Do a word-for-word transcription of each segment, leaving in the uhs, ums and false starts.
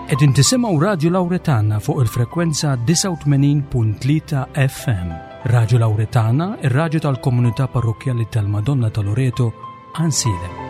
Qegħdin tisimgħu Radju Lawretana fuq il-frekwenza disgħa u tmenin punt tlieta F M. Radju Lawretana, ir-radju tal-komunità parrokkjali tal-Madonna ta' Loreto, Għajnsielem.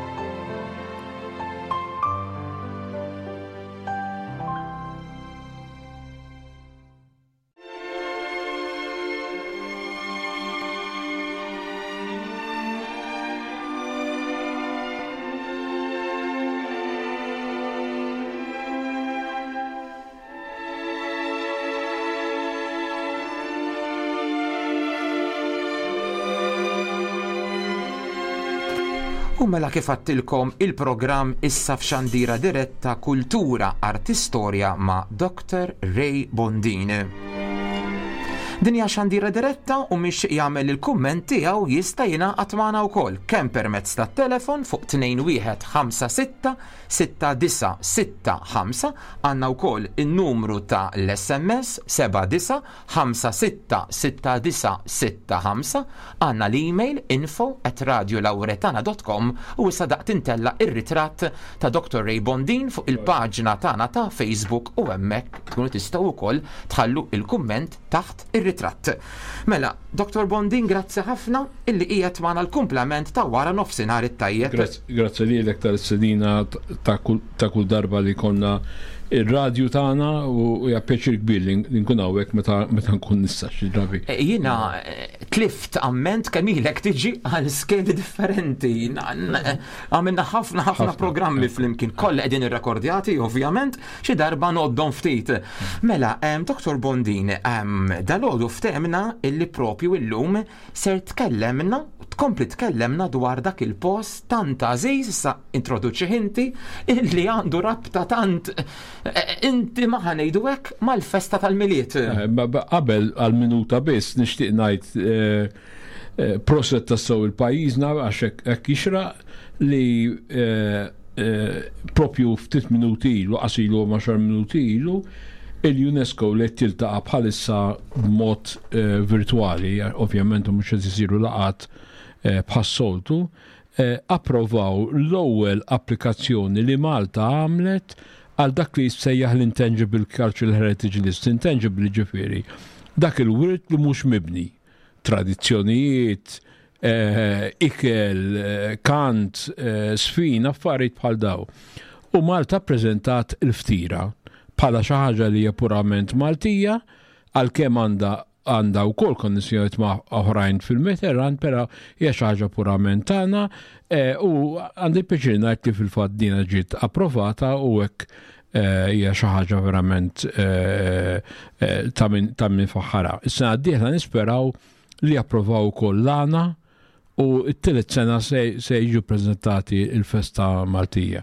U mela kif għattilkom il-programm issa f'xandira diretta Kultura Artistorja ma' Doktor Ray Bondin. Din hija xandira diretta u mhix jagħmel il-kumment tiegħu jista' jingħaqad magħna wkoll kemm permezz tat-telefon fuq tnejn wieħed ħamsa sitta sitta disa sitta ħamsa, għandna wkoll in-numru ta' l-S M S seba' disa ħamsa sitta sitta disa sitta ħamsa, għandna l-email info at radio lauretana dot com u issa daqt intella ir-ritratt ta' Doktor Ray Bondin fuq il-paġna tagħna ta' Facebook u hemmhekk tkunu tistgħu wkoll tħallu il-kumment taħt ir-ritratt. Mela, Doktor Bondin, grazzi ħafna illi qiegħed magħna l-kumplament ta' wara nofsinhar it-tajjeb. Grazzi, grazzi lilek tal-istedina ta' kull, ta' kull darba li konna ir-radju tagħna u hija pjaċir kbir li n-, li nkun hawnhekk meta, meta nkun nista' xi drabi. E, jiena, eh, tlift amment kemm ilek tiġi għal skedi differenti. Na, na, għamilna ħafna, ħafna Ħafna. programmi flimkien, kollha qegħdin irrekordjati ovvjament, xi darba ngħoddhom ftit. Mela, em, Doktor Bondin, em, dalgħodu ftemna illi propju illum ser tkellemna, tkompli tkellemna dwar dak il-post tant għażiż, issa introduċi inti, illi għandu rabta tant inti ma ħanejdu hekk mal-festa tal-Milied. Eh, ba-, ba-, qabel għal-minuta biss nixtieq ngħid, eh, eh, proset tassew il-pajjiżna għax hekk, hekk jixraq li, eh, eh, propju ftit minuti ilu, qasilu għaxar minuti ilu, il-UNESCO li tiltaqa' bħalissa b'mod, eh, virtwali, ovvjament mhux qed isiru laqgħat, eh, bħas-soltu, eh, approvaw l-ewwel applikazzjoni li Malta għamlet għal dak li jissejjaħ l-Intangible Cultural Heritage List. Intangible ġifieri dak il-wirt li mhux mibni, tradizzjonijiet, eh, ikel, eh, kant, eh, sfin, affarijiet bħal daw. U Malta ppreżentat il-ftira bħala xi ħaġa li hija purament Maltija, għalkemm għandha, għandha wkoll konnessjonijiet ma' oħrajn fil-Mediterran, però hija xi ħaġa purament tagħna, eh, u għandi pjaċir ngħid li fil-fatt dina ġiet approvata u hekk, eh, hija xi ħaġa verament, eh, eh, ta' min, ta' min faħħara. Is-sena d-dieħla nisperaw li approvaw ukoll l-għana u t-tielet sena se, se jiġu ppreżentati il-festa Maltija.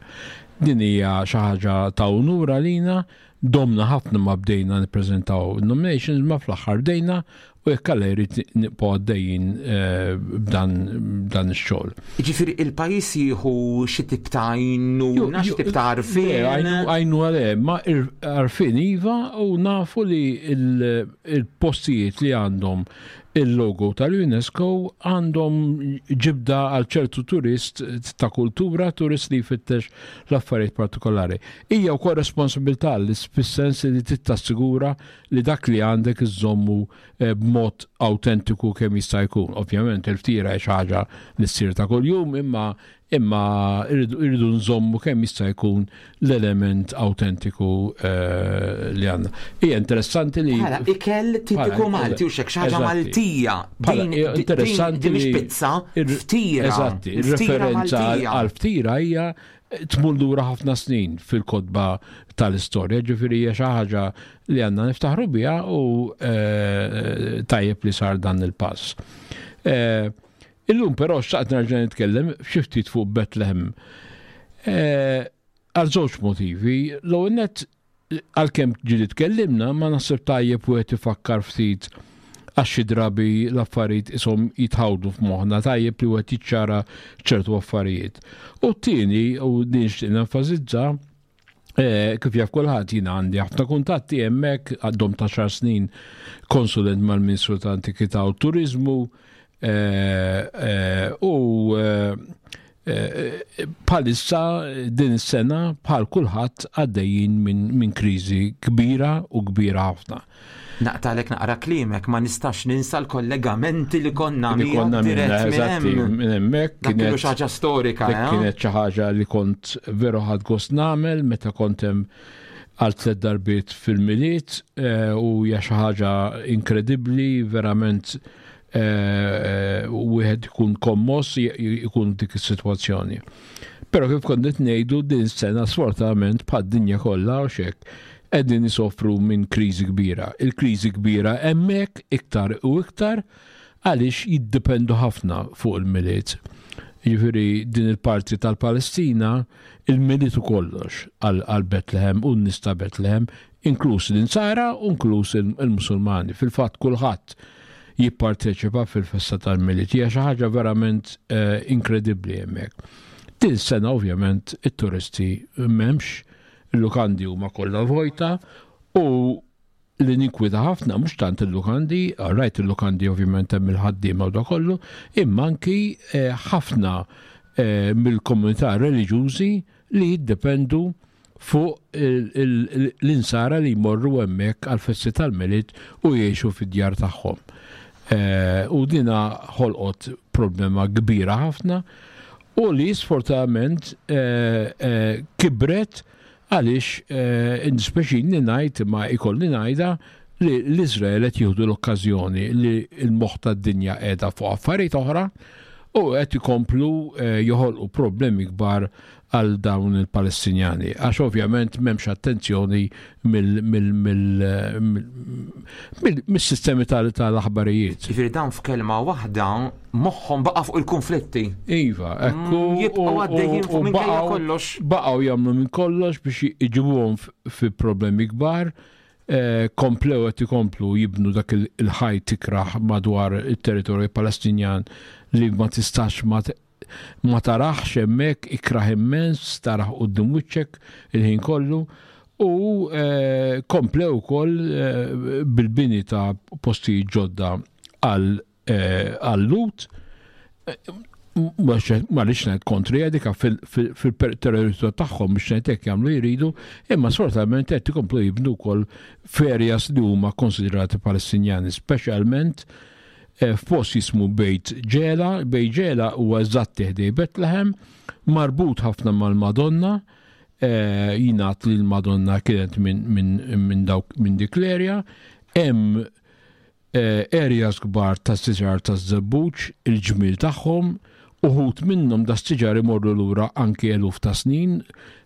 Din hija xi ħaġa ta' unur għalina, domna ħafna ma bdejna nippreżentaw nominations, ma fl-aħħar bdejna u jekk Alla jrid nibqgħu għaddejjin, eh, b'dan, b'dan ix-xogħol. Jiġifieri il-pajjiż jieħu xi tip ta' għajnuna, Ju-, xi ju-, tip ta' għarfien? Le, għajnu-, għajnu għale, ma ir-, għarfien iva, u nafu li il-, il-postijiet li għandhom il-logo tal-UNESCO għandhom ġibda għal ċertu turist ta' kultura, turist li jfittex l-affarijiet partikolari. Hija wkoll responsabilità li fis-sens li tittassigura li dak li għandek iżommu, eh, b'mod autentiku kemm jista' jkun. Ovvjament il-ftira hija xi ħaġa li ssir ta' kuljum, imma, imma irridu, irridu nżommu kemm jista' jkun l-element autentiku, eh, li għandna. Hija interessanti li Bħala ikel tipiku Bħala, Malti u xek xi ħaġa eżatti. Maltija. Bħala, Din hija din interessanti din mhix li pizza, ir- ftira. Eżatti, Ftira ir-referenza Maltija. għal ftira hija tmur lura ħafna snin fil-kotba tal-istorja, ġifieri hija xi ħaġa li għandna niftaħru biha u, eh, tajjeb li sar dan il-pass. Eh, illum però xtaqt nerġa' nitkellem xi ftit fuq Bethlehem. Eh, għal żewġ motivi. L-ewwel nett, għalkemm ġieli tkellimna, ma naħseb tajjeb wieħed ifakkar ftit għax xi drabi l-affarijiet ishom jitħawdu f'moħħna, tajjeb li wieħed jiċċara ċertu affarijiet. U t-tieni, u din nixtieq nenfasizza, eh, kif jaf kulħadd jiena għandi ħafna kuntatti hemmhekk, għaddhom ta' xar snin konsulent mal-Ministru ta' Antikità u Turiżmu, eh, eh, u, eh, Bħalissa din is-sena bħal kulħadd għaddejjin minn min kriżi kbira u kbira ħafna. Naqtalek naqra kliemek, ma nistax ninsa l-kollegamenti li konna li konna dirett minn hemmhekk. Kienet xi ħaġa storika. Eh? Kienet xi ħaġa li kont veru ħadt gost nagħmel meta kont hemm għal tliet darbiet fil-Milied eh, u hija xi ħaġa inkredibbli verament eh, wieħed ikun kommoss ikun dik is-sitwazzjoni. Però kif kont qed ngħidu din sena sfortunatament bħad-dinja kollha u xek qegħdin isofru minn kriżi kbira. Il-kriżi kbira hemmhekk iktar u iktar għaliex jiddependu ħafna fuq il-Milied. Jiġifieri din il-parti tal-Palestina, il-Milied u kollox għal Betlehem u n-nies ta' Betlehem, inkluż l-Insara u inkluż il-Musulmani. Fil-fatt kulħadd jipparteċipa fil-festa tal-Milied. Hija xi ħaġa verament eh, inkredibbli hemmhekk. Din sena ovvjament it-turisti m'hemmx, il-lukandi huma kollha vojta u li ninkwita ħafna mhux tant il-lukandi, rajt il-lukandi ovvjament hemm il-ħaddiema u da kollu, imma anki eh, ħafna eh, mill-komunità reliġjużi li jiddependu fuq l-insara li jmorru hemmhekk għal-festi tal-Milied u jgħixu fid-djar tagħhom. Eh, u dina ħolqot problema kbira ħafna u li sfortunatament kibret għaliex eh, jiddispjaċini ngħid ma ikolli ngħidha li l-Izrael qed jieħdu l-okkażjoni li l-moħħ tad-dinja qiegħda fuq affarijiet oħra u qed ikomplu eh, joħolqu problemi kbar għal dawn il-Palestinjani. Għax ovvjament m'hemmx attenzjoni mill-sistemi tal-aħbarijiet. Jiġifieri dawn f'kelma waħda moħħhom baqa' fuq il-konflitti. Iva, ekku. Mm, jibqgħu għaddejjin fuq minkejja kollox. Baqgħu jagħmlu minn kollox biex iġibuhom fi problemi kbar. Eh, komplew qed ikomplu jibnu dak il-ħajt ikraħ madwar it-territorju Palestinjan li ma tistax ma ma taraħx hemmhekk ikraħ immens, taraħ quddiem wiċċek il-ħin kollu u eh, komplew ukoll eh, bil-bini ta' postijiet ġodda għal għal-Lhud ma rridx ngħid kontri dika fil-territorju tagħhom biex ngħid hekk jagħmlu jridu, imma sfortunatament qed ikomplu jibnu wkoll f'areas li huma konsiderati Palestinjani, speċjalment eh, f'post jismu Bejt Ġela, Bejt Ġela huwa eżatt ħdejn Bethlehem, marbut ħafna mal-Madonna, eh, jingħad li l-Madonna kienet minn dawk minn dik l-area, hemm eh, areas kbar ta' siġar ta' żebbuġ, il-ġmil tagħhom, uħud minnhom da siġar imorru lura anki eluf ta' snin,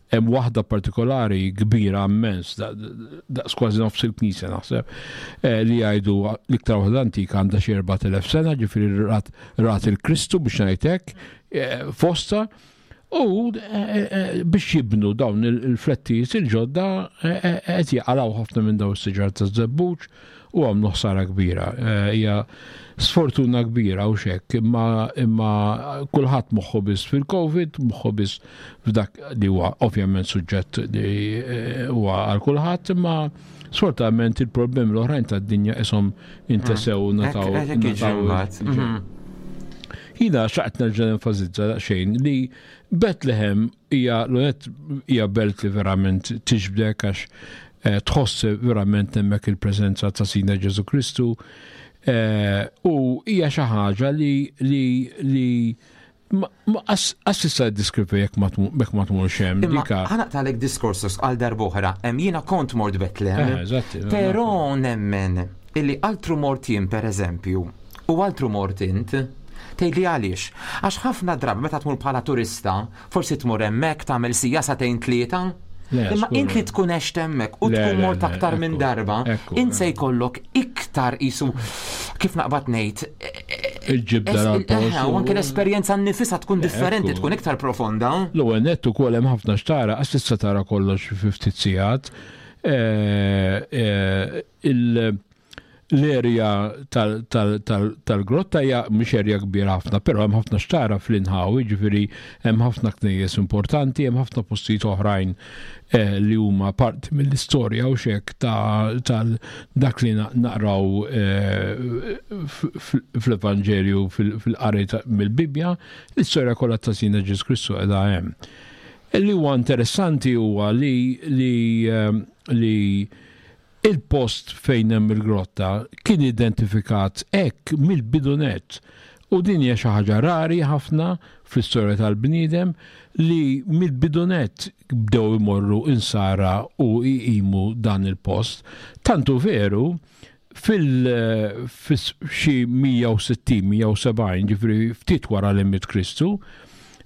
hemm waħda partikolari kbira immens, daqs kważi nofs il-knisja naħseb, eh, li jgħidu l-iktar waħda antika għandha xi erbat elef sena, ġifieri rat, rat il-Kristu biex ngħidlek, eh, fosta, u eh, biex jibnu dawn il-flettijiet il-ġodda qed jaqalgħu ħafna minn dawn is-siġar ta' żebbuġ u għamlu ħsara kbira. Hija sfortuna kbira u xek, imma imma kulħadd moħħu biss fil-Covid, moħħu biss f'dak li huwa ovvjament suġġett li huwa għal kulħadd, imma sfortunatament il-problemi l-oħrajn tad-dinja ishom intesew Mm. nataw. Hekk- hekk jiġri nataw- mbagħad. Mhm. Jiena xtaqt nerġa' nenfasizza daqsxejn li Bethlehem hija l hija belt li verament tiġbdek għax eh, tħoss verament hemmhekk il-preżenza ta' Sidna Ġesu Kristu eh, u hija xi ħaġa li li li ma ma as tista' ddiskrivi jekk ma tmu- jekk ma tmurx hemm Imma dika. ħa naqtagħlek diskors għal darb'oħra, hemm jiena kont mort Bethlehem. Eh, eżatti, Però nemmen illi altru mort jien per eżempju u altru mort int, tgħidli għaliex. Għax ħafna drabi meta tmur bħala turista, forsi tmur hemmhekk tagħmel sija sagħtejn tlieta. Le, Imma skur. int li tkun għext hemmhekk u Le, tkun le, mort le, aktar minn ekku, darba, ekku, int se jkollok iktar isu kif naqbad ngħid Il-ġibda es- għal-post eh, u anke l-esperjenza nnifisha tkun differenti, ekku. tkun iktar profonda. L-ewwel nett ukoll hemm ħafna xtara, għax tista' tara kollox fi ftit sigħat. Eh, eh, il- L-erja tal-grotta hija mhux erja kbira ħafna, però hemm ħafna xtara fl-inħawi, ġifieri hemm ħafna knejjes importanti, hemm ħafna postijiet oħrajn eh, li huma parti mill-istorja u xek ta' dak li naqraw eh, fl-Evanġelju, fil-qari mill-Bibbja, l-istorja kollha ta' Sidna Ġesù Kristu qiegħda hemm. Li huwa interessanti huwa li li eh, li il-post fejn hemm il-grotta kien identifikat hekk mill-bidunet, u din hija xi ħaġa rari ħafna fl-istorja tal-bniedem li mill-bidunet bdew imorru insara u jqimu dan il-post. Tantu veru fil xi mija u sittin, mija u sebgħin, ġifieri ftit wara li miet Kristu,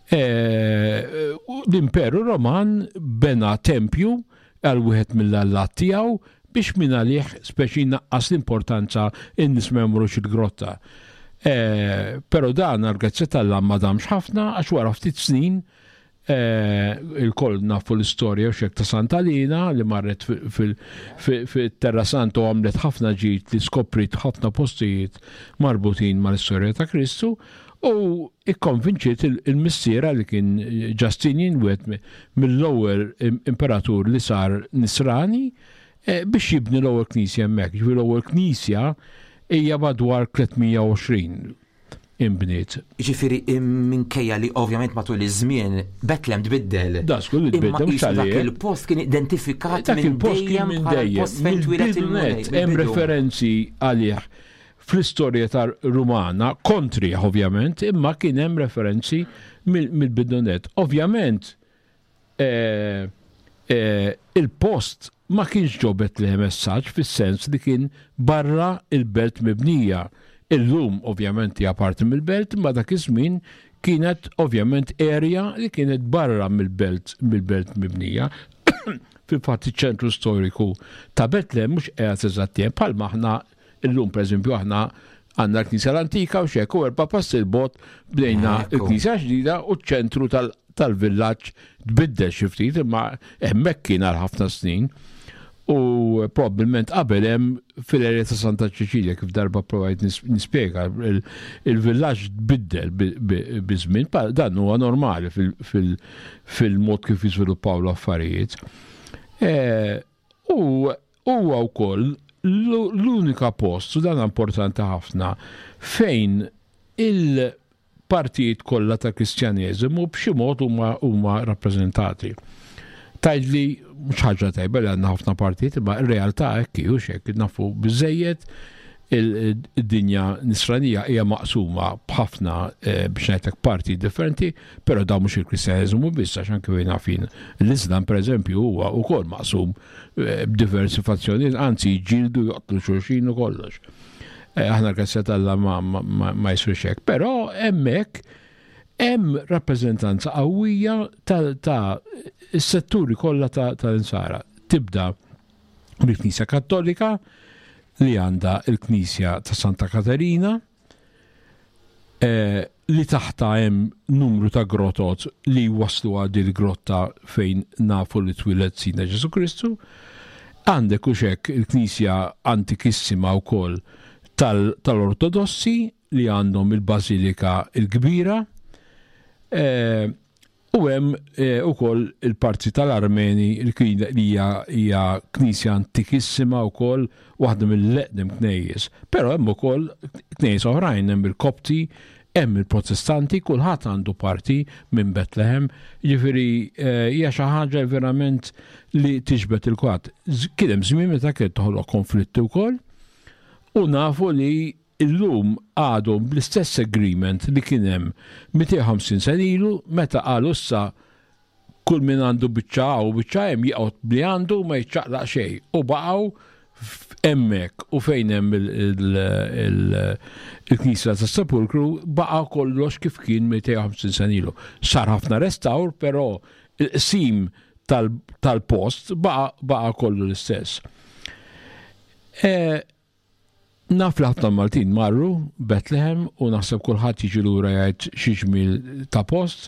eh, l-Imperu Roman bena tempju għal wieħed mill-allat tiegħu biex minn għalih speċi naqqas l-importanza, in-nies ma jmorrux il-grotta. Eh, Però dan għal-grazzja t'Alla ma damx ħafna, għax wara ftit snin eh, il-koll nafu l-istorja u xek ta' Santa Lina li marret fil-Terra Santa u għamlet ħafna ġid li skoprit ħafna postijiet marbutin mal-istorja ta' Kristu u ikkonvinċiet il-missiera li kien Justinian, wieħed mill-ewwel imperatur li sar nisrani, eh, biex jibni l-ewwel knisja hemmhekk. Ġifieri l-ewwel knisja hija madwar tliet mija u għoxrin imbniet. Ġifieri minkejja li ovvjament matul iż-żmien Betlem tbiddel. Da żgur li Imma tbiddel, mhux qisu dak għalih. il-post kien identifikat Dak minn il-post kien dejjem minn bħala dejjem. il-post fejn twieled Mill-bidunet il-Mulej. hemm Mill-bidu. referenzi għalih fl-istorja tar Rumana, kontri ovvjament, imma kien hemm referenzi mill-bidunet. Ovvjament, eh, eh, il-post ma kienx ġo Betlehem messaġġ fis-sens li kien barra il-belt mibnija. Illum ovvjament hija parti mill-belt, ma dak iż-żmien kienet ovvjament area li kienet barra mill-belt mill-belt mibnija. Fil-fatt iċ-ċentru storiku ta' Betlehem mhux qiegħed eżatt hemm, bħalma aħna illum, pereżempju, aħna għandna l-Knisja l-Antika u xek u erba' passi 'l bogħod bdejna Ekku. l-Knisja ġdida u ċ-ċentru tal- tal-villaġġ tbiddel xi ftit, imma hemmhekk kien għal ħafna snin. U probabbilment qabel hemm fil-area ta' Santa Ċeċilja, kif darba provajt nis- nispjega, il- il-villaġġ tbiddel bi- bi- biż-żmien, pa- dan huwa normali fil- fil- fil-mod kif jiżviluppaw l-affarijiet. Eh, U huwa wkoll l- l-unika post, u dan importanti ħafna, fejn il-partijiet kollha ta' Kristjaneżimu b'xi mod huma huma rappreżentati. Tgħidli mhux ħaġa tajba li għandna ħafna partijiet, imma r-realtà hekk hi, u xek nafu biżejjed il-dinja nisranija hija maqsuma b'ħafna eh, biex ngħidlek parti differenti, però dawn mhux il-Kristjaneżmu biss, għax anke fejn nafin l-Islam, pereżempju, huwa wkoll maqsum eh, b'diversi fazzjonijiet, anzi jġildu, joqtlu xulxin u kollox. Eh, Aħna l-grazzja t'Alla ma, ma, ma, ma jsirx hekk, però hemmhekk hemm rappreżentanza qawwija ta', ta s-setturi kollha ta' tal-insara. Tibda mill-Knisja Kattolika li għandha il-Knisja ta' Santa Katerina, eh, li taħta hemm numru ta' grotot li waslu għal din il-grotta fejn nafu li twieled Sidna Ġesù Kristu. Għandek u xek il-Knisja antikissima wkoll tal- tal-Ortodossi li għandhom il-Bażilika il-Kbira. Eh, u hemm eh, ukoll il-parti tal-Armeni li hija hija knisja antikissima wkoll, waħda mill-eqdem knejjes. Però hemm ukoll knejjes oħrajn, hemm il-Kopti, hemm il-Protestanti, kulħadd għandu parti minn Betlehem, ġifieri eh, hija xi ħaġa verament li tiġbed il-kwatt. Kien hemm żmien meta kien toħloq konflitti wkoll u nafu li illum għadhom bl-istess agreement li kien hemm mitejn u ħamsin sena ilu, meta qalu issa kull min għandu biċċa u biċċa hemm jaqgħod bli għandu, ma jiċċaqlaq xejn, u baqgħu hemmhekk, u fejn hemm il-Knisja tas Sepulkru baqa' kollox kif kien mitejn u ħamsin sena ilu. Sar ħafna restawr, però il-qsim tal-post baqa' kollu l-istess. E, naf li ħafna Maltin marru Bethlehem u naħseb kulħadd jiġi lura jgħid xi ġmiel ta' post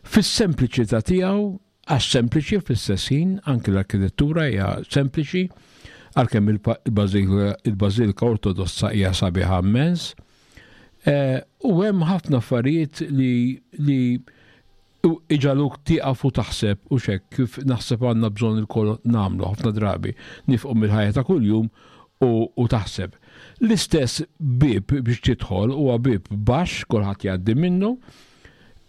fis-sempliċità tiegħu, għax sempliċi fl-istess ħin, anke l-arkitettura hija sempliċi, Għalkemm il-Bażilika Ortodossa hija sabiħa immens. U hemm ħafna affarijiet li li iġagħluk tieqaf u taħseb u xek kif naħseb għandna bżonn ilkoll nagħmlu ħafna drabi nieqfu mill-ħajja ta' kuljum u, u taħseb. L-istess bib biex tidħol huwa bib baxx, kulħadd jgħaddi minnu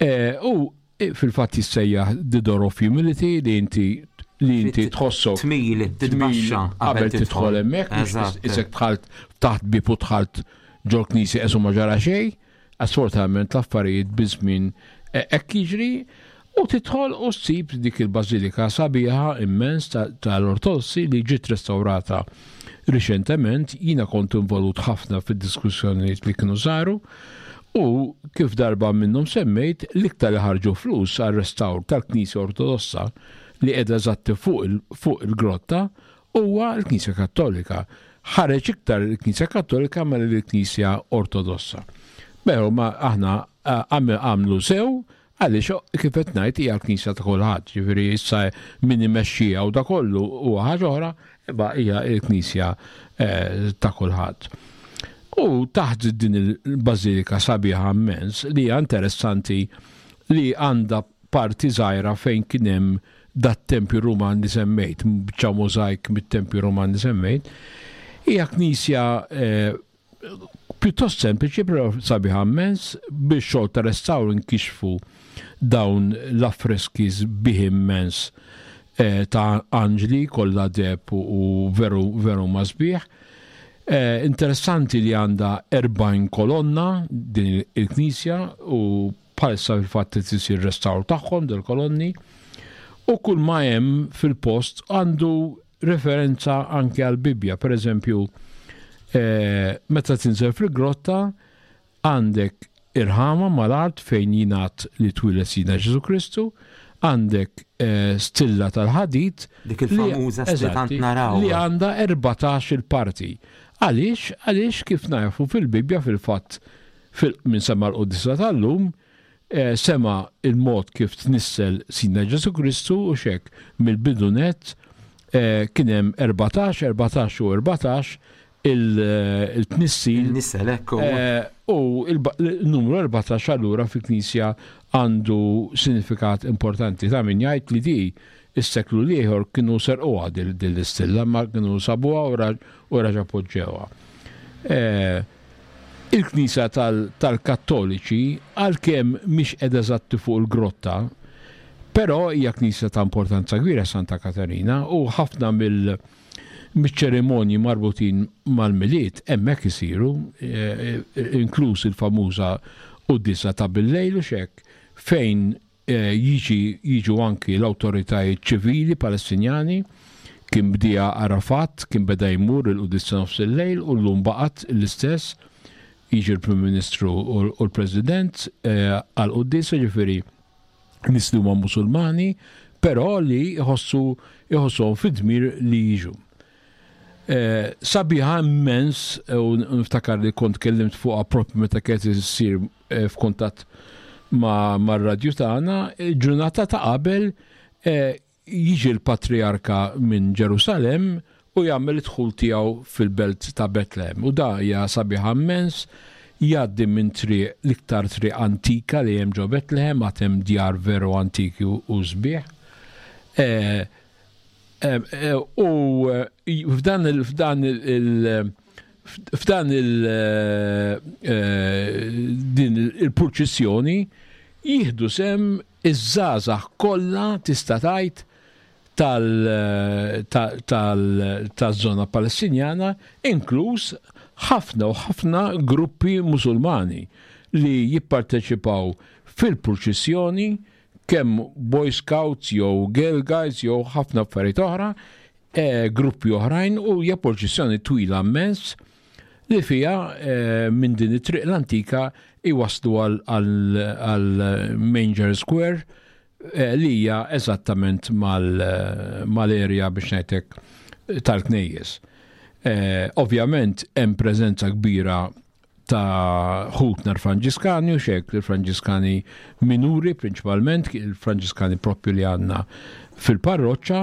e, u fil-fatt jissejjaħ the door of humility, li inti li inti tħossok tmil, titbaxxa qabel tidħol hemmhekk, isek dħalt taħt bib u dħalt ġol-knisja qisu ma ġara xejn. Assolutament l-affarijiet biż-żmien hekk jiġri u tidħol u ssib dik il-bażilika sabiħa immens tal-Ortodossi li ġiet restaurata riċentement. Jiena kont involut ħafna fid-diskussjonijiet li kienu saru u kif darba minnhom semmejt, l-iktar li ħarġu flus għal restawr tal-Knisja Ortodossa li qiegħda eżatti fuq il-grotta huwa l-Knisja Kattolika. Ħareġ iktar il-Knisja Kattolika mal il-Knisja Ortodossa. Però ma aħna għamlu sew għaliex kif qed ngħid hija l-Knisja ta' kulħadd, ġifieri issa min imexxija u da kollu huwa ħaġa oħra, imma hija l-Knisja ta' kulħadd. U taħt din il-bażilika sabiħa immens li hija interessanti li għandha parti żgħira fejn kien hemm dat-tempju Ruman li semmejt, biċċa mozaik mit-tempju Ruman li semmejt, hija knisja pjuttost sempliċi però sabiħa immens. Biex xogħol ta' restawr inkixfu dawn l-affreski sbieħ immens ta' anġli kollha deheb u veru veru ma sbieħ. Interessanti li għandha erbgħin kolonna din il-knisja u bħalissa fil-fatt qed isir restawr tagħhom del-kolonni u kull ma hemm fil-post għandu referenza anke għal-Bibbja. Per eżempju, meta tinżel fil-grotta għandek irħama mal-art fejn jingħad li twieled Sidna Ġesu Kristu, għandek stilla tal-ħadid dik il-famuża stilla tant naraw li għandha erbatax il-parti. Għaliex? Għaliex kif nafu fil-Bibbja fil-fatt minn sema l-Quddiesa tal-lum sema il-mod kif tnissel Sidna Ġesu Kristu u xek mill-bidu net kien hemm erbatax, erbatax u erbatax il-tnissil. Il-nissel, ekku. U il-numru erbatax allura fil-Knisja għandu sinifikat importanti. Ta' min jgħid li di is-seklu l-ieħor kienu serquha din l-istilla, ma kienu sabuha u raġa poġġewha. Il-Knisja tal-Kattoliċi għalkemm mhix qiegħda eżatti fuq il-grotta, però hija knisja ta' importanza kbira Santa Katarina u ħafna mill miċ-ċerimonji marbutin mal-Milied hemmhekk isiru, inkluż il-famuża quddiesa ta' bil-lejl u xek, fejn jiġi jiġu anki l-awtoritajiet ċivili Palestinjani. Kien bdija Arafat, kien beda jmur il-quddiesa nofs il-lejl u llum baqgħet l-istess, jiġi l-Prim Ministru u l-President għal-quddiesa, ġifieri nies li huma Musulmani, però li jħossu jħossuhom fid-dmir li jiġu. Sabiħa immens, u niftakar li kont kellimt fuqha propju meta kienet issir f'kuntatt mar-radju tagħna, ġurnata ta' qabel jiġi l-Patriarka minn Ġerusalem u jagħmel id-dħul tiegħu fil-belt ta' Betlehem. U da hija sabiħa immens, jgħaddi minn triq l-iktar triq antika li hemm ġo Betlehem, għad hemm djar veru antiki u sbieħ. U f'dan il f'dan il f'dan il din il-purċissjoni jieħdu sem iż-żgħażagħ kollha tista' tgħid tal-żona Palestinjana, inkluż ħafna u ħafna gruppi Musulmani li jipparteċipaw fil-purċissjoni, kemm Boy Scouts jew Girl Guides jew ħafna affarijiet oħra, gruppi oħrajn, u hija purċissjoni twila immens li fiha minn din it-triq l-antika iwaslu għal Manger Square li hija eżattament mal-area biex ngħidlek tal-knejjes. Ovvjament hemm preżenza kbira ta' ħutna l-Franġiskani u xek, il-Franġiskani minuri prinċipalment, il-Franġiskani propju li għandna fil-parroċċa,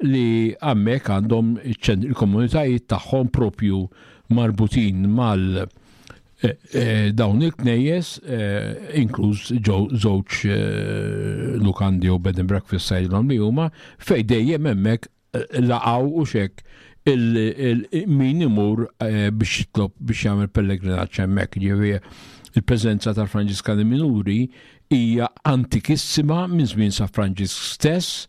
li hemmhekk għandhom il-komunitajiet tagħhom propju marbutin mal eh, eh, dawn il-knejjes, eh, inkluż żewġ lukandi u bed and breakfast sajdilhom li huma fej dejjem hemmhekk laqgħu u xek min imur biex jitlob biex jagħmel pellegrinaġġ hemmhekk. Ġifieri il-preżenza tal-Franġiskani Minuri hija antikissima minn żmien San Franġisk stess.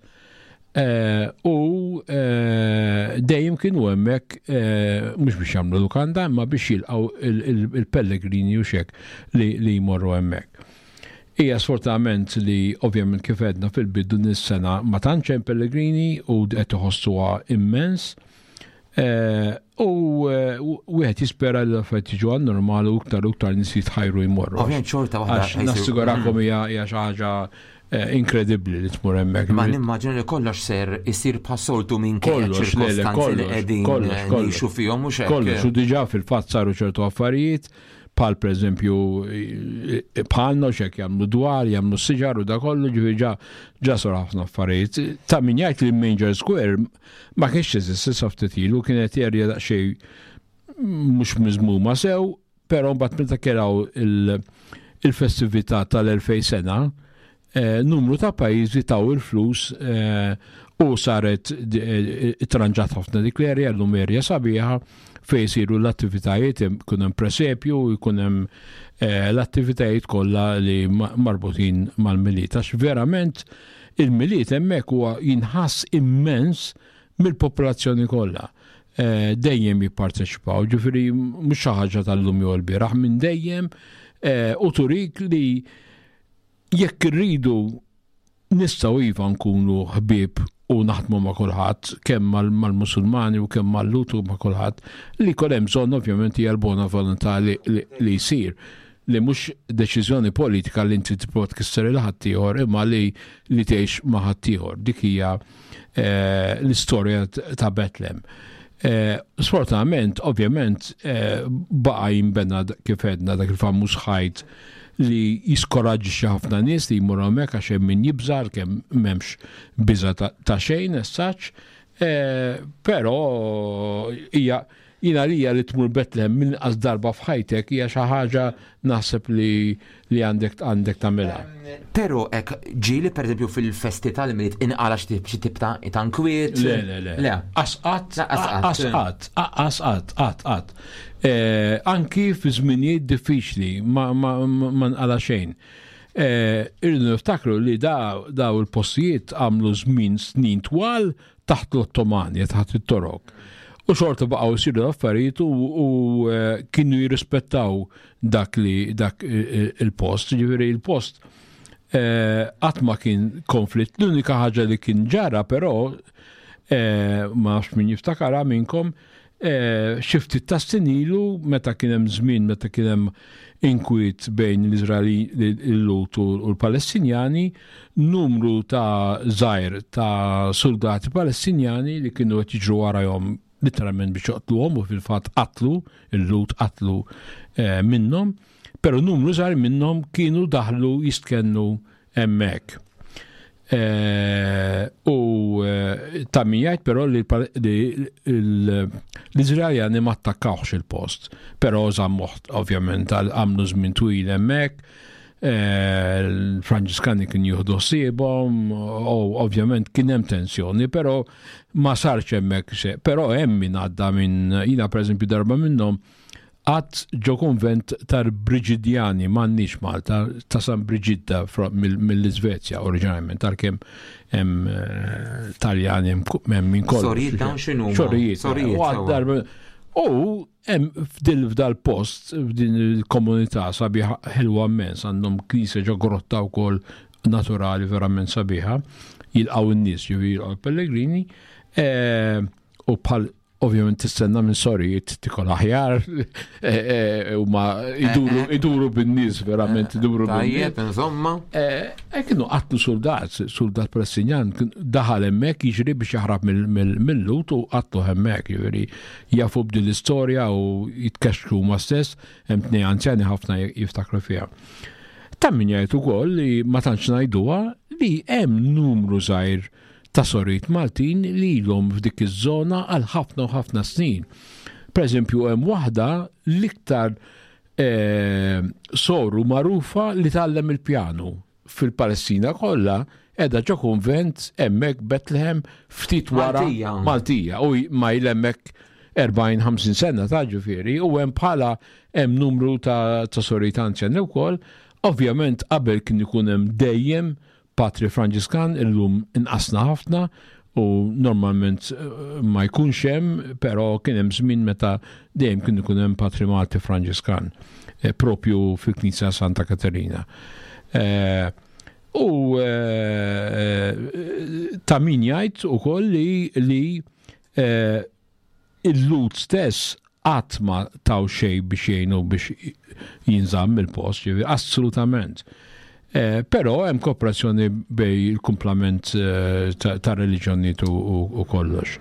Eh, u eh, dejjem kienu hemmhekk eh, mhux biex jagħmlu lukanda imma biex jilqgħu il-pellegrini u xek li jmorru hemmhekk. Hija sfortunatament li ovvjament kif għedna fil-bidu nis-sena ma tantx hemm pellegrini u qed iħossuha immens. U wieħed jispera li l-affarijiet jiġu għan normali u iktar u iktar nies jitħajru jmorru. Ovvjament xorta waħda. Nassigurakom hija xi ħaġa inkredibbli li tmur hemmhekk. Ma nimmaġina li kollox ser isir bħas-soltu minn kollox ċirkostanzi li qegħdin ngħixu fihom mhux hekk. Kollox, u diġà fil-fatt saru ċertu affarijiet bħal pereżempju bħalna x'hekk jagħmlu dwar, jagħmlu siġar u da kollu, ġifieri ġa ġa sar ħafna affarijiet. Ta' min jgħid li Manger Square ma kienx jeżisti sa ftit ilu, kienet erja daqsxejn mhux miżmuma sew, però mbagħad meta keraw il-festività tal-elfejn sena, numru ta' pajjiżi taw il-flus u saret tranġat ħafna dik l-erja, llum erja sabiħa fejn isiru l-attivitajiet, ikun hemm presepju, jkun hemm l-attivitajiet kollha li marbutin mal-Milied. Għax verament il-Milied hemmhekk huwa jinħass immens mill-popolazzjoni kollha. Dejjem jipparteċipaw, ġifieri mhux xi ħaġa tal-lum jew l-bieraħ, minn dejjem, u turik li jekk irridu nistgħu iva nkunu ħbieb u naħdmu ma' kulħadd, kemm mal-Musulmani u kemm mal-Lut u ma' kulħadd, li kol hemm bżonn ovvjament hija l-bona volontà li jsir, li mhux deċiżjoni politika li inti tipprova tkisser il ħaddieħor imma li li tgħix ma' ħaddieħor. Dik hija l-istorja ta' Betlem. Sfortunatament, ovvjament, baqa' jinbena kif għedna dak il-famuż ħajt li jiskoraġġi ħafna nies li jmorru hemmhekk għax hemm min jibża' kemm m'hemmx biża' ta' xejn as such, però hija jiena lija li tmur Betlem minn inqas darba f'ħajtek hija xi ħaġa naħseb li li għandek għandek tagħmilha. Però hekk ġieli pereżempju fil-festi tal-Milied inqala xi tip ta' inkwiet? Le, le, le. Le. Asqat, asqat, asqat, qatt, qatt. Anki fi żminijiet diffiċli ma nqala xejn. Irridu niftakru li daw il-postijiet għamlu żmien snin twal taħt l-Ottomani, taħt it-Torok. U xorta baqgħu jsiru l-affarijiet u kienu jirrispettaw dak li dak il-post. Ġifieri il-post qatt ma kien konflitt. L-unika ħaġa li kien ġara però, ma nafx min jiftakarha minnkom, xi ftit ta' snin ilu meta kien hemm żmien meta kien hemm inkwiet bejn l-Iżraeli l-Lut u l-Palestinjani, numru ta' żgħir ta' soldati Palestinjani li kienu qed jiġru warahom literalment biex joqtluhom u fil-fatt qatlu, il-Lut qatlu minnhom, però numru żgħir minnhom kienu daħlu jistkennu hemmhekk. U ta' min jgħid però li l-Iżraeljani ma attakkawx il-post, però żammuh ovvjament għamlu żmien twil hemmhekk, l-Franġiskani kien jieħdu ħsiebhom, u ovvjament kien hemm tensjoni, però ma sarx hemmhekk xejn. Però hemm min għadda minn, jiena pereżempju darba minnhom għad ġo konvent tal-Brigidjani m'għandniex Malta, ta' San Brigidda mill-Iżvezja oriġinarjament, għalkemm hemm Taljani hemm minn kollox. Sorijiet dawn x'inhuma? Sorijiet. Sorijiet. U hemm f'dil f'dal-post, f'din il-komunità sabiħa ħelwa immens, għandhom knisja ġo grotta wkoll naturali verament sabiħa, jilqgħu n-nies, ġifieri jilqgħu l-pellegrini, u bħal ovvjament tistenna minn sorijiet tikol aħjar, u ma iduru bin-nies, verament iduru bin-nies. Tajjeb, insomma. E kienu qatlu soldat, soldat Palestinjan, daħal hemmhekk jiġri biex jaħrab mill-Lut u qatlu hemmhekk, jiġifieri jafu b'din l-istorja u jitkexxu huma stess, hemm tnejn anzjani ħafna jiftakru fiha. Ta' min jgħid ukoll li ma tantx ngħiduha li hemm numru żgħir ta' sorijiet Maltin li ilhom f'dik iż-żona għal ħafna u ħafna snin. Per eżempju, hemm waħda l-iktar eh, soru magħrufa li tgħallem il-pjanu fil-Palestina kollha, qiegħda ġo kunvent hemmhekk Bethlehem ftit wara. Maltija. Maltija, u ma jlemmek erbgħin ħamsin sena ta' ġifieri, u hemm bħala hemm numru ta', ta sorijiet anzjani wkoll. Ovvjament qabel kien ikun hemm dejjem Patri Franġiskan, illum inqasna ħafna u normalment eh, ma jkunx hemm, però kien hemm żmien meta dejjem kien ikun hemm Patri Malti Franġiskan eh, propju fil-Knisja Santa Katerina. Eh, U eh, ta' min jgħid ukoll li li eh, il-Lhud stess qatt ma taw xejn biex jgħinu biex jinżamm il-post, ġifieri, assolutament. Eh, Però hemm kooperazzjoni bejn il-kumplament eh, ta' ta' reliġjonijiet u, u, u kollox.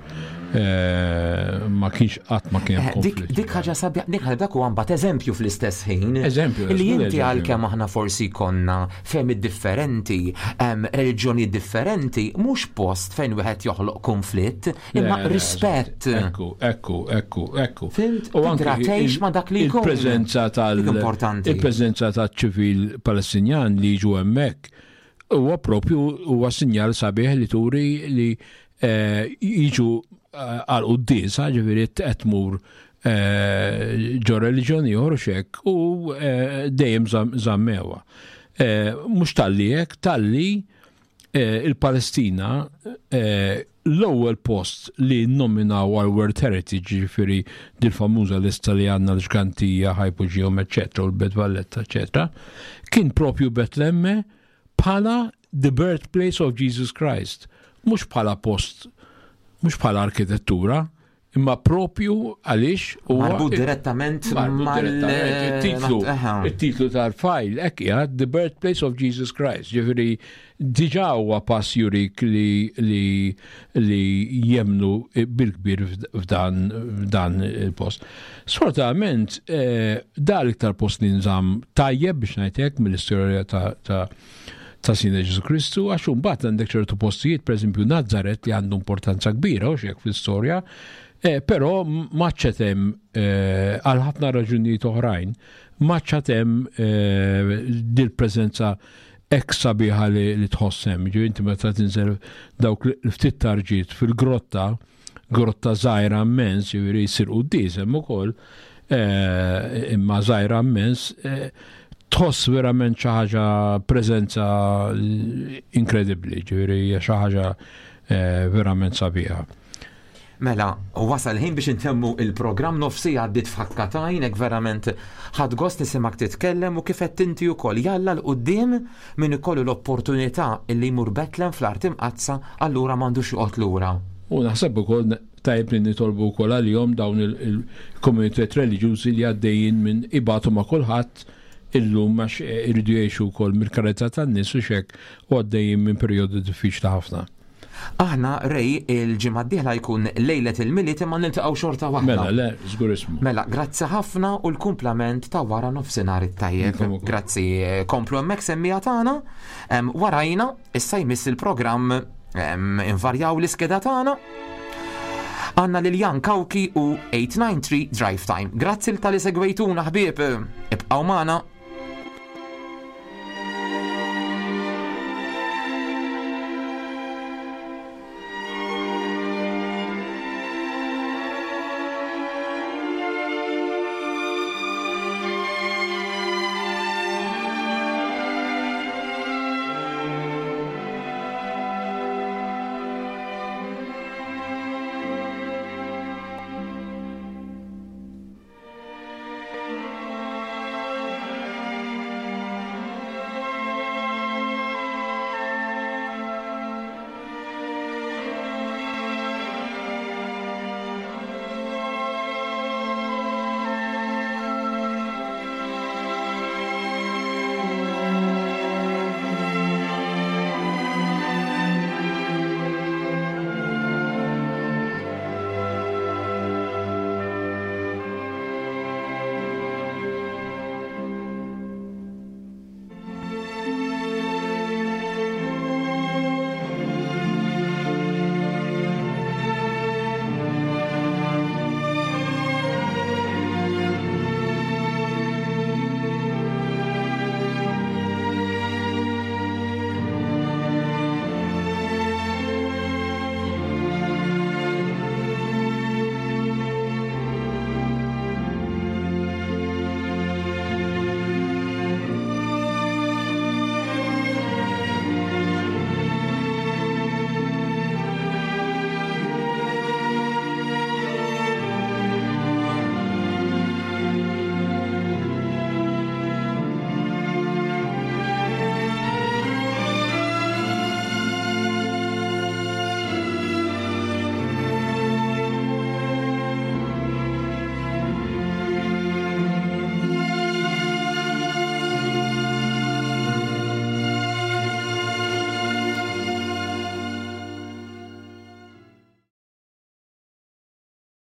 Eh, ma kienx qatt ma kien hemm Eh, Dik, konflitt. dik ħaġa sabiħa, dik ħaġa, dak huwa mbagħad eżempju fl-istess ħin. Eżempju, Li żgur inti eżempju. għalkemm aħna forsi konna fehmiet differenti, em, reliġjoni differenti, mhux post fejn wieħed joħloq konflitt, imma Le, le, rispett. Ekku, ekku, ekku, ekku. Fhimt? U anke Tidra tgħix il- ma' dak li jkun. Il-preżenza tal Dik importanti. Il-preżenza tal-ċivil Palestinjan li jiġu hemmhekk huwa propju huwa sinjal sabiħ li turi li eh, jiġu eh, għal quddiesa, ġifieri qed tmur eh, ġo reliġjoni ieħor u xek u eh, dejjem żam- żammewa. Eh, Mhux talli hekk, talli eh, il-Palestina eh, l-ewwel post li nominaw għal World Heritage, ġifieri dil-famuża lista li għandna l-Ġgantija, Hypogeum, eccetera, u l-Belt Valletta, eccetera, kien propju Betlemme bħala the birthplace of Jesus Christ, mhux bħala post, mhux bħala arkitettura, imma propju għaliex huwa Marbut direttament Marbut mal- direttament. Il-titlu, Aha. il-titlu tal-file, hekk qiegħed, "The Birthplace of Jesus Christ". Ġifieri, diġà huwa pass jurik li, li, li jemmnu bil-kbir f'dan, f'dan il-post. Sfortunatament, eh, da l-iktar post li nżamm tajjeb, biex ngħidlek, mill-istorja ta', ta' ta' Sidna Ġesù Kristu, għax mbagħad għandek ċertu postijiet, per eżempju Nazzaret, li għandu importanza kbira u xek fl-istorja, eh, però m'għadx hemm eh, għal ħafna raġunijiet oħrajn, m'għadx hemm eh, dil-preżenza hekk sabiħa li, li tħoss hemm. Ġifieri inti meta tinżel dawk l-ftit tarġiet fil-grotta, grotta żgħira immens, ġifieri jsir quddies hemm ukoll, eh, imma żgħira immens, eh, tħoss verament xi ħaġa, preżenza inkredibbli, ġifieri hija xi ħaġa eh, verament sabiħa. Mela, wasal ħin biex intemmu il-programm, nofs siegħa għaddiet f'ħakka t'għajn, verament ħadt gost nisimak titkellem u kif qed inti wkoll jalla 'l quddiem min ikollu l-opportunità illi jmur Betlem fl-Art Imqaddsa, allura m'għandux joqgħod lura. U naħseb ukoll tajjeb li nitolbu wkoll għalihom dawn il-komunitajiet reliġjużi li għaddejjin minn ibatu ma' kulħadd illum, għax iridu jgħixu wkoll mill-karità tan-nies u xek u għaddejjin minn perjodu diffiċli ħafna. Aħna, Ray, il-ġimgħa d-dieħla jkun lejlet il-Milied, imma niltaqgħu xorta waħda. Mela, le, żgur ismu. Mela, grazzi ħafna u l-kumplament ta' wara nofsinhar it-tajjeb. Intom ukoll. Grazzi, komplu hemmhekk semmiegħa tagħna. Em, Warajna, issa jmiss il-programm em, invarjaw l-iskeda tagħna. Għandna lil Jan Kawki u eight nine three Drive Time. Grazzi talli segwejtuna, ħbieb. Ibqgħu magħna.